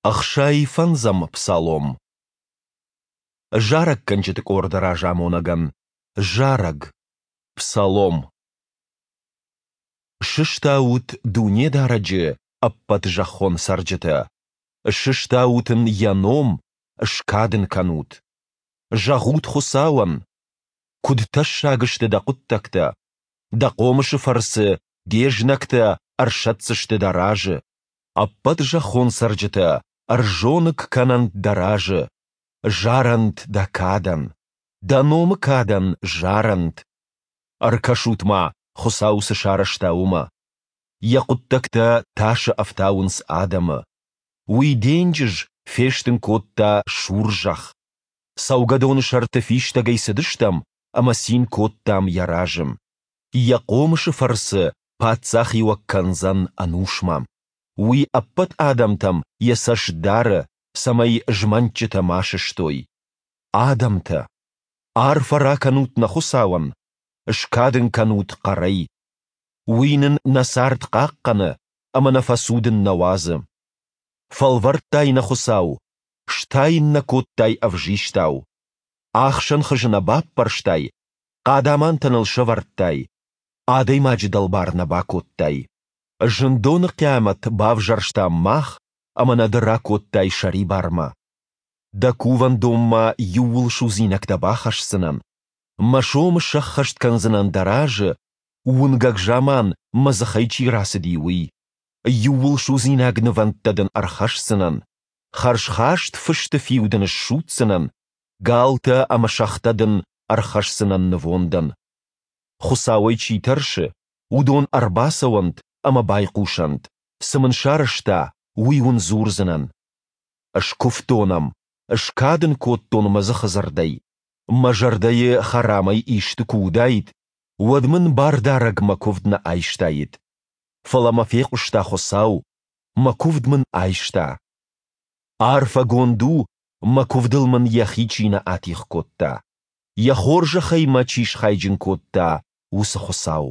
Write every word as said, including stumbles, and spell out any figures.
Ӕхсай фӕндзӕм псалом. Зарӕггӕнджыты къорды разамонӕгӕн. Зарӕг. Псалом. Сыстаут Дунедарӕджы, ӕппӕт зӕххон цӕрджытӕ! Сыстаут Ын Йӕ ном, скад Ын кӕнут! Зӕгъут Хуыцауӕн: Куыд тӕссаг сты Дӕ хъуыддӕгтӕ! Дӕ хъомысы фӕрцы Де знӕгтӕ ӕрсӕтдзысты Дӕ разы. Ӕппӕт зӕххон цӕрджытӕ ӕрзоныг кӕнӕнт Дӕ разы, зарӕнт Дӕ кадӕн, Дӕ номы кадӕн зарӕнт. Ӕркӕсут-ма, Хуыцау цы сарӕзта, уымӕ. Йӕ хъуыддӕгтӕ тасы ӕфтауынц адӕмы. Уый денджыз фестын кодта сур зӕхх. Цӕугӕдоны сӕрты фистӕгӕй цыдыстӕм ӕмӕ цин кодтам йӕ разы. Йӕ хъомысы фӕрцы паддзахиуӕг кӕндзӕн ӕнусмӕ. Уый ӕппӕт адӕмтӕм йӕ цӕст дары, цӕмӕй змӕнтджытӕ ма сыстой. Адӕмтӕ! Арфӕ ракӕнут нӕ Хуыцауӕн, скад ын кӕнут хъӕрӕй. Уый нын нӕ цард хъахъхъӕны ӕмӕ нӕ фӕцудын нӕ уадзы. Фӕлвӕрдтай нӕ, Хуыцау, стайын нӕ кодтай ӕвзистау. Ӕхсӕн хызы нӕ баппӕрстай, хъадамантӕ ныл сӕвӕрдтай, адӕймаджы дӕлбар нӕ бакодтай. Зындоны хъиамӕт бавзӕрстам мах, ӕмӕ нӕ ды ракодтай сӕрибармӕ. Дӕ кувӕндонмӕ иууылсудзинӕгтӕ бахӕсдзынӕн, мӕ сомы сӕххӕст кӕндзынӕн дӕ разы, уынгӕг заман мӕ дзыхӕй чи рацыди, уый. Иууылсудзинаг нывӕндтӕ дын ӕрхӕсдзынӕн, хӕрзхаст фысты фиу дын ссудздзынӕн, галтӕ ӕмӕ сӕгътӕ дын ӕрхӕсдзынӕн нывондӕн. Хуыцауӕй чи тӕрсы, уыдон ӕрбацӕуӕнт ӕмӕ байхъусӕнт, цы мын сарӕзта, уый уын дзурдзынӕн. Скуывтон ӕм, скад ын кодтон мӕ дзыхы дзырдӕй. Мӕ зӕрдӕйы хӕрамӕй исты куы уыдаид, уӕд мын Бардарӕг мӕ куывд нӕ айстаид. Фӕлӕ мӕ фехъуыста Хуыцау, мӕ куывд мын айста. Арфӕгонд у, мӕ куывдыл мын йӕхи чи нӕ атигъ кодта, йӕ хорзӕхӕй мӕ чи схайджын кодта, уыцы Хуыцау.